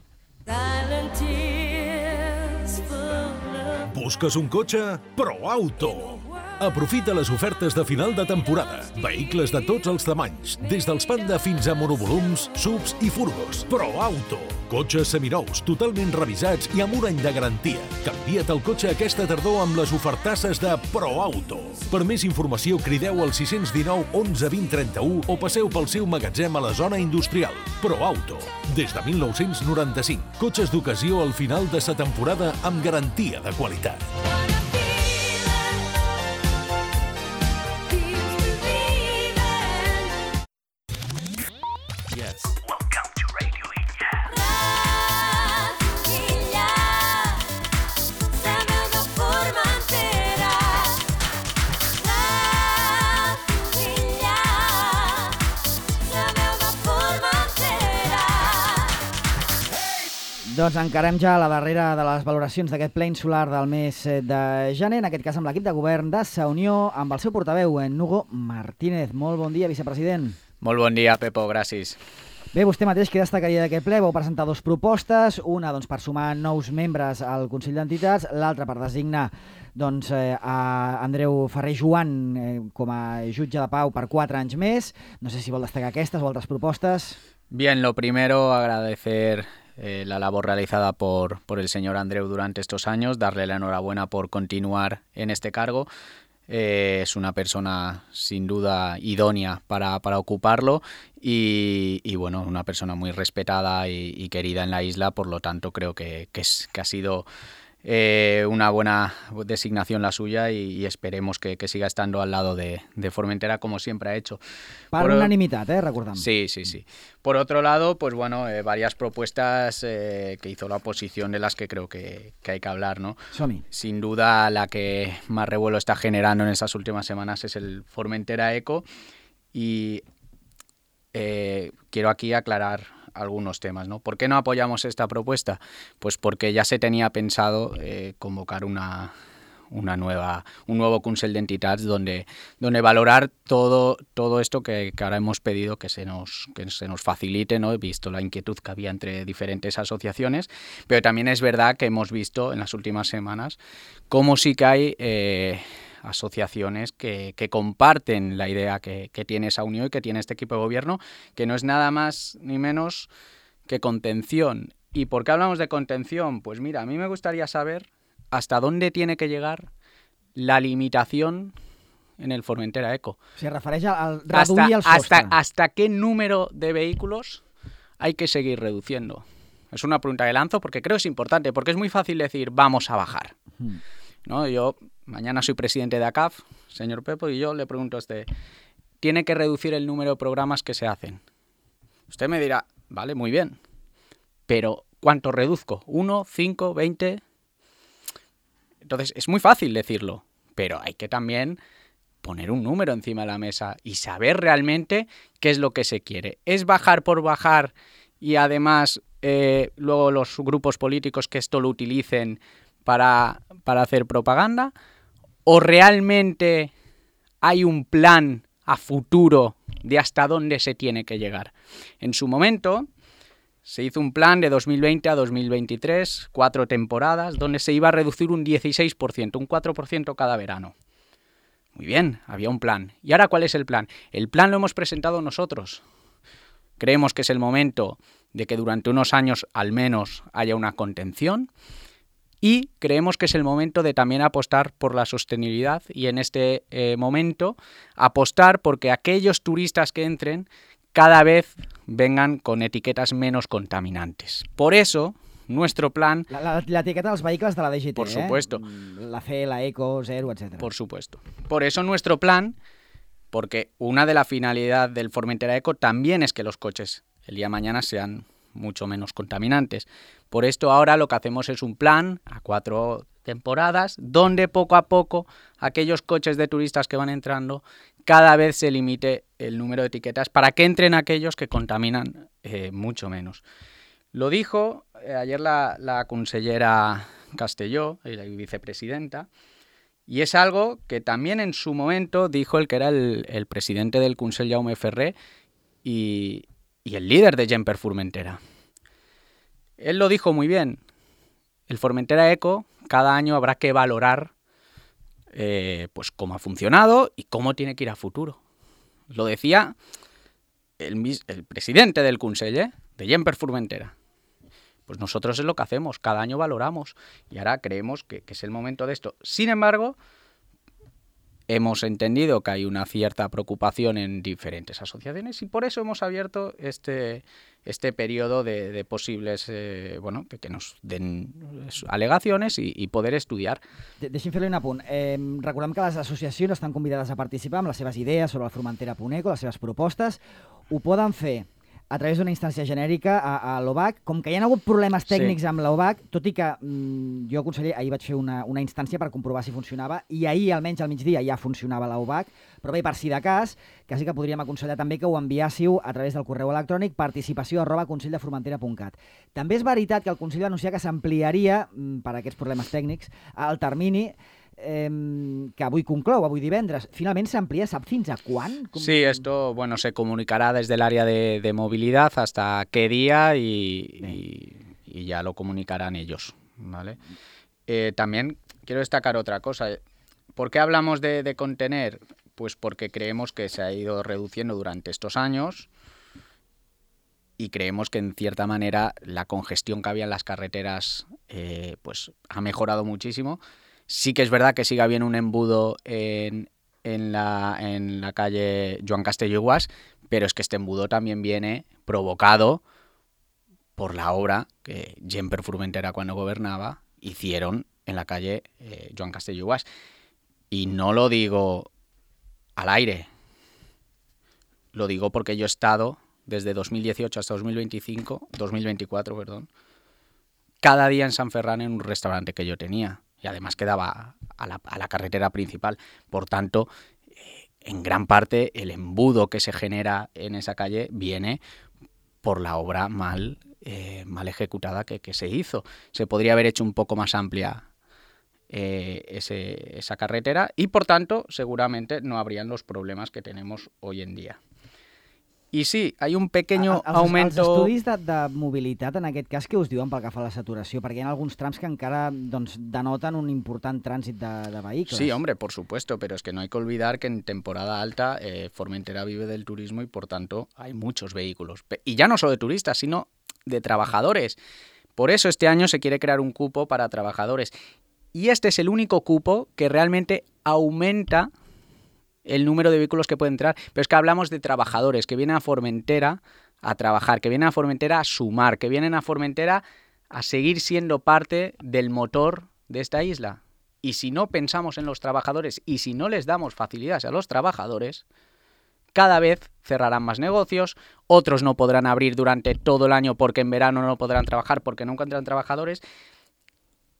Busques un cotxe? ProAuto. Aprofita les ofertes de final de temporada. Vehicles de tots els tamanys, des dels Panda fins a monovolums, SUVs i furgos. ProAuto. Cotxes seminous, totalment revisats i amb un any de garantia. Canvia't el cotxe aquesta tardor amb les ofertasses de ProAuto. Per més informació, crideu al 619 11 20 31 o passeu pel seu magatzem a la zona industrial. ProAuto. Des de 1995. Cotxes d'ocasió al final de sa temporada amb garantia de qualitat. Doncs encarem ja la darrera de les valoracions d'aquest ple insular del mes de gener, en aquest cas amb l'equip de govern de Sa Unió, amb el seu portaveu, en Hugo Martínez. Molt bon dia, vicepresident. Molt bon dia, Pepo, gràcies. Bé, vostè mateix, què destacaria d'aquest ple? Vau presentar dues propostes, una per sumar nous membres al Consell d'Entitats, l'altra per designar a Andreu Ferrer Joan com a jutge de pau per 4 anys més. No sé si vol destacar aquestes o altres propostes. Bien, lo primero, agradecer la labor realizada por el señor Andreu durante estos años, darle la enhorabuena por continuar en este cargo. Es una persona sin duda idónea para ocuparlo y bueno, una persona muy respetada y querida en la isla, por lo tanto creo que ha sido una buena designación la suya y esperemos que siga estando al lado de Formentera como siempre ha hecho. Per unanimitat, recordem. Sí. Por otro lado, pues bueno, varias propuestas que hizo la oposición de las que creo que hay que hablar, ¿no? Som-hi. Sin duda la que más revuelo está generando en estas últimas semanas es el Formentera Eco y quiero aquí aclarar algunos temas, ¿no? ¿Por qué no apoyamos esta propuesta? Pues porque ya se tenía pensado convocar un nuevo Consell d'Entitats donde valorar todo esto que ahora hemos pedido que se nos facilite, ¿no? He visto la inquietud que había entre diferentes asociaciones, pero también es verdad que hemos visto en las últimas semanas cómo sí que hay asociaciones que comparten la idea que tiene esa unión y que tiene este equipo de gobierno, que no es nada más ni menos que contención. ¿Y por qué hablamos de contención? Pues mira, a mí me gustaría saber hasta dónde tiene que llegar la limitación en el Formentera Eco. Se refereix al reduir el sostre. ¿Hasta qué número de vehículos hay que seguir reduciendo? Es una pregunta que lanzo porque creo que es importante, porque es muy fácil decir vamos a bajar. ¿No? Yo mañana soy presidente de ACAF, señor Pepo, y yo le pregunto a usted, ¿tiene que reducir el número de programas que se hacen? Usted me dirá, vale, muy bien, pero ¿cuánto reduzco? ¿1, 5, 20? Entonces es muy fácil decirlo, pero hay que también poner un número encima de la mesa y saber realmente qué es lo que se quiere. ¿Es bajar por bajar y además luego los grupos políticos que esto lo utilicen para hacer propaganda? ¿O realmente hay un plan a futuro de hasta dónde se tiene que llegar? En su momento se hizo un plan de 2020 a 2023, 4 temporadas, donde se iba a reducir un 16%, un 4% cada verano. Muy bien, había un plan. ¿Y ahora cuál es el plan? El plan lo hemos presentado nosotros. Creemos que es el momento de que durante unos años al menos haya una contención y creemos que es el momento de también apostar por la sostenibilidad y en este momento apostar porque aquellos turistas que entren cada vez vengan con etiquetas menos contaminantes. Por eso, nuestro plan... La etiqueta dels vehicles de la DGT, por supuesto. La C, la Eco, Zero, etc. Por supuesto. Por eso nuestro plan, porque una de las finalidades del Formentera Eco también es que los coches el día de mañana sean mucho menos contaminantes. Por esto ahora lo que hacemos es un plan a 4 temporadas, donde poco a poco aquellos coches de turistas que van entrando cada vez se limite el número de etiquetas para que entren aquellos que contaminan mucho menos. Lo dijo ayer la consellera Castelló, la vicepresidenta, y es algo que también en su momento dijo el que era el presidente del Consell, Jaume Ferrer, y el líder de Gent per Formentera. Él lo dijo muy bien. El Formentera Eco, cada año habrá que valorar pues cómo ha funcionado y cómo tiene que ir a futuro. Lo decía el presidente del Consell, de Gemper Formentera. Pues nosotros es lo que hacemos, cada año valoramos y ahora creemos que es el momento de esto. Sin embargo, hemos entendido que hay una cierta preocupación en diferentes asociaciones y por eso hemos abierto este periodo de posibles, que nos den al·legacions i poder estudiar. Deixi'm fer-li un apunt. Recordem que les associacions estan convidades a participar amb les seves idees sobre la Formentera.eco, les seves propostes. Ho poden fer a través d'una instància genèrica a l'OBAC. Com que hi ha hagut problemes tècnics amb l'OBAC, tot i que jo, conseller, ahir vaig fer una instància per comprovar si funcionava i ahir, almenys al migdia, ja funcionava l'OBAC, però bé, per si de cas, quasi que podríem aconsellar també que ho enviàssiu a través del correu electrònic participació@conselldefromentera.cat. També és veritat que el Consell va anunciar que s'ampliaria, per aquests problemes tècnics, el termini que avui conclou, avui divendres. Finalment s'amplia, ¿sap fins a quan? Sí, esto se comunicará desde el área de movilidad hasta qué día y ya lo comunicarán ellos, ¿vale? También quiero destacar otra cosa. ¿Por qué hablamos de contener? Pues porque creemos que se ha ido reduciendo durante estos años y creemos que en cierta manera la congestión que había en las carreteras pues ha mejorado muchísimo. Sí que es verdad que sigue habiendo un embudo en la calle Joan Castelló i Guas, pero es que este embudo también viene provocado por la obra que Gemper Formentera, cuando gobernaba, hicieron en la calle Joan Castelló i Guas. Y no lo digo al aire, lo digo porque yo he estado desde 2018 hasta 2024, cada día en San Ferran en un restaurante que yo tenía. Y además quedaba a la carretera principal. Por tanto, en gran parte el embudo que se genera en esa calle viene por la obra mal ejecutada que se hizo. Se podría haber hecho un poco más amplia esa carretera y, por tanto, seguramente no habrían los problemas que tenemos hoy en día. I sí, hi ha un pequeño aumento... Els estudis de mobilitat, en aquest cas, què us diuen pel que fa a la saturació? Perquè hi ha alguns trams que encara denoten un important trànsit de vehicles. Sí, hombre, por supuesto, pero es que no hay que olvidar que en temporada alta Formentera vive del turismo y, por tanto, hay muchos vehículos. Y ya no solo de turistas, sino de trabajadores. Por eso este año se quiere crear un cupo para trabajadores. Y este es el único cupo que realmente aumenta el número de vehículos que pueden entrar, pero es que hablamos de trabajadores que vienen a Formentera a trabajar, que vienen a Formentera a sumar, que vienen a Formentera a seguir siendo parte del motor de esta isla. Y si no pensamos en los trabajadores y si no les damos facilidades a los trabajadores, cada vez cerrarán más negocios, otros no podrán abrir durante todo el año porque en verano no podrán trabajar porque no encuentran trabajadores.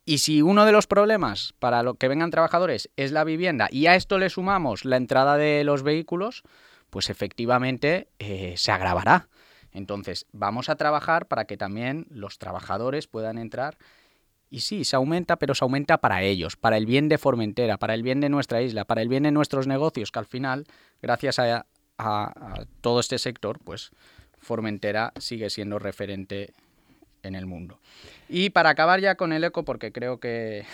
Y si uno de los problemas para lo que vengan trabajadores es la vivienda y a esto le sumamos la entrada de los vehículos, pues efectivamente se agravará. Entonces vamos a trabajar para que también los trabajadores puedan entrar. Y sí, se aumenta, pero se aumenta para ellos, para el bien de Formentera, para el bien de nuestra isla, para el bien de nuestros negocios, que al final, gracias a todo este sector, pues Formentera sigue siendo referente en el mundo. Y para acabar ya con el eco, porque creo que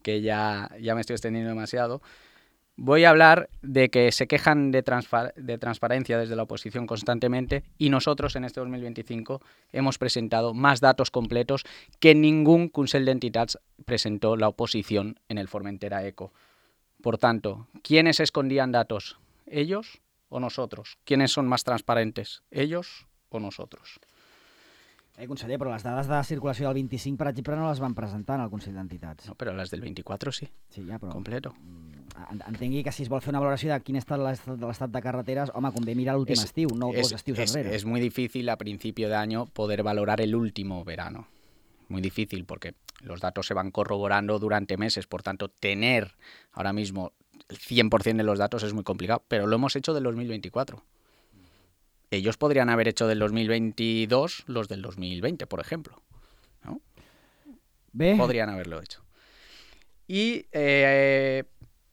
ya me estoy extendiendo demasiado, voy a hablar de que se quejan de transparencia desde la oposición constantemente y nosotros en este 2025 hemos presentado más datos completos que ningún Consell d'Entitats presentó la oposición en el Formentera Eco. Por tanto, ¿quiénes escondían datos? ¿Ellos o nosotros? ¿Quiénes son más transparentes? ¿Ellos o nosotros? Conseller, però les dades de circulació del 25, per exemple, no les van presentar en el Consell d'Entitats. No, però les del 24 sí. Sí, ja, però... Completo. Entengui que si es vol fer una valoració de quin és l'estat de carreteres, home, convé mirar l'últim estiu, no dos estius enrere. Es muy difícil a principio de año poder valorar el último verano. Muy difícil porque los datos se van corroborando durante meses, por tanto, tener ahora mismo el 100% de los datos es muy complicado, pero lo hemos hecho del 2024. Ellos podrían haber hecho del 2022 los del 2020, por ejemplo, ¿no? Bé. Podrían haberlo hecho. Y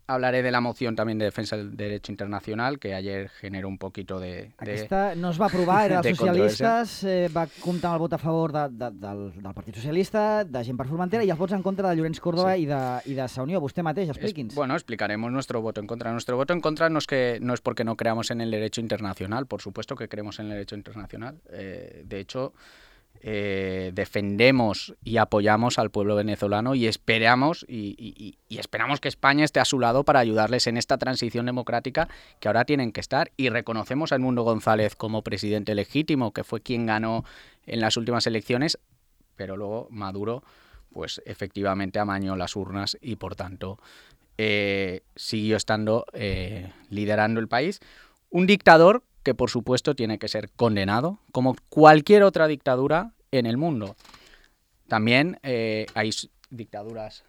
Hablaré de la moción también de defensa del derecho internacional, que ayer generó un poquito de Aquesta no es va aprovar, era dels socialistes, va comptar amb el vot a favor del Partit Socialista, de Gent per Formentera, i els vots en contra de Llorenç Córdoba i de Sa Unió. Vostè mateix, expliqui'ns. Bueno, explicaremos nuestro voto en contra. Nuestro voto en contra no es porque no creamos en el derecho internacional, por supuesto que creemos en el derecho internacional. De hecho, defendemos y apoyamos al pueblo venezolano y esperamos que España esté a su lado para ayudarles en esta transición democrática que ahora tienen que estar, y reconocemos a Edmundo González como presidente legítimo, que fue quien ganó en las últimas elecciones, pero luego Maduro pues efectivamente amañó las urnas y por tanto siguió estando liderando el país. Un dictador que por supuesto tiene que ser condenado, como cualquier otra dictadura en el mundo. También hay dictaduras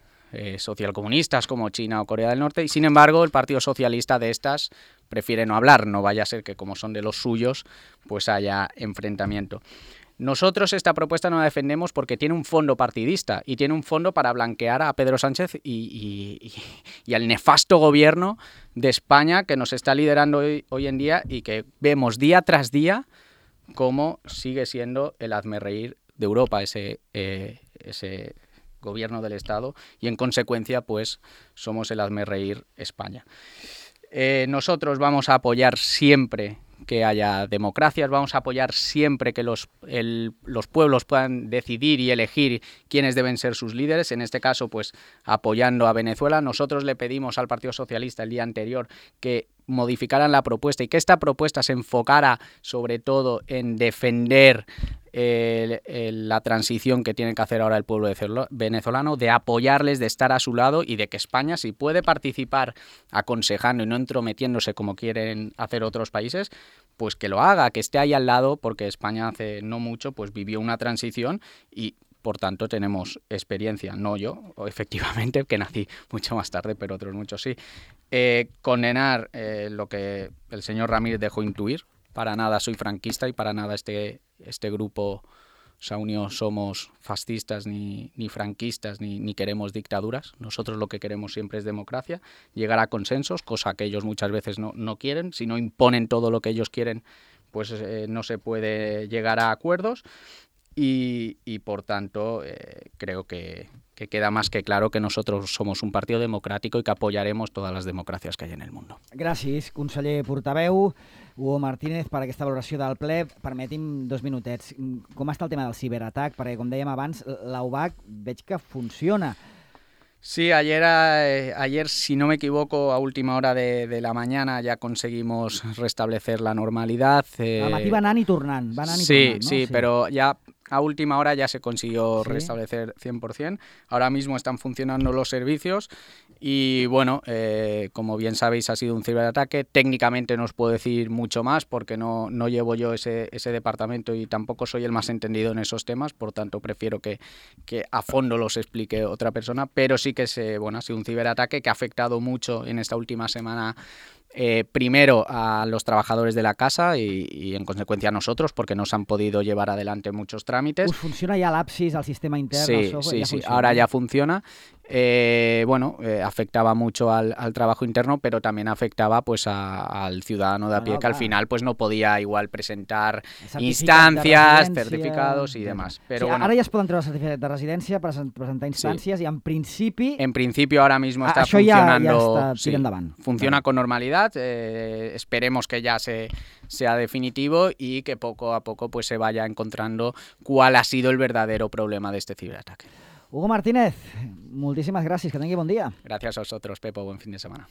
socialcomunistas como China o Corea del Norte, y sin embargo el Partido Socialista de estas prefiere no hablar, no vaya a ser que como son de los suyos pues haya enfrentamiento. Nosotros esta propuesta no la defendemos porque tiene un fondo partidista y tiene un fondo para blanquear a Pedro Sánchez y al nefasto gobierno de España que nos está liderando hoy en día, y que vemos día tras día cómo sigue siendo el hazmerreír de Europa ese gobierno del Estado, y en consecuencia pues somos el hazmerreír España. Nosotros vamos a apoyar siempre que haya democracias, vamos a apoyar siempre que los pueblos puedan decidir y elegir quiénes deben ser sus líderes, en este caso pues apoyando a Venezuela. Nosotros le pedimos al Partido Socialista el día anterior que modificaran la propuesta y que esta propuesta se enfocara sobre todo en defender la transición que tiene que hacer ahora el pueblo venezolano, de apoyarles, de estar a su lado, y de que España, si puede participar aconsejando y no entrometiéndose como quieren hacer otros países, pues que lo haga, que esté ahí al lado, porque España hace no mucho pues vivió una transición y por tanto tenemos experiencia, no yo, efectivamente, que nací mucho más tarde, pero otros muchos sí. Condenar lo que el señor Ramírez dejó intuir. Para nada soy franquista y para nada este grupo Sa Unió somos fascistas ni franquistas ni queremos dictaduras. Nosotros lo que queremos siempre es democracia, llegar a consensos, cosa que ellos muchas veces no quieren. Si no imponen todo lo que ellos quieren, pues no se puede llegar a acuerdos. Y por tanto creo que queda más que claro que nosotros somos un partido democrático y que apoyaremos todas las democracias que hay en el mundo. Gràcies, conseller portaveu. Hugo Martínez, per aquesta valoració del ple. Permeti'm 2 minutets. Com està el tema del ciberatac? Perquè, com dèiem abans, l'UBAC veig que funciona. Sí, ayer, si no me equivoco, a última hora de la mañana ya conseguimos restablecer la normalidad. Al matí va anant i tornant, ¿no? Sí, pero ya a última hora ya se consiguió restablecer 100%. Ahora mismo están funcionando los servicios y, bueno, como bien sabéis, ha sido un ciberataque. Técnicamente no os puedo decir mucho más porque no llevo yo ese departamento y tampoco soy el más entendido en esos temas, por tanto prefiero que a fondo los explique otra persona, pero sí que ha sido un ciberataque que ha afectado mucho en esta última semana. Primero a los trabajadores de la casa y en consecuencia a nosotros, porque no se han podido llevar adelante muchos trámites. ¿Funciona ya l'Apsis, el sistema interno? Sí, ahora ya funciona. Afectaba mucho al trabajo interno, pero también afectaba pues al ciudadano de a pie, que al final pues no podía igual presentar instancias, certificados y demás. Pero sí, ahora ja es poden treure certificat de residència, presentar instàncies, i en principi... En principio ahora mismo está funcionando, funciona con normalidad. Esperemos que ya sea definitivo y que poco a poco pues se vaya encontrando cuál ha sido el verdadero problema de este ciberataque. Hugo Martínez, moltíssimes gràcies, que tingui bon dia. Gracias a vosotros, Pepo, buen fin de semana.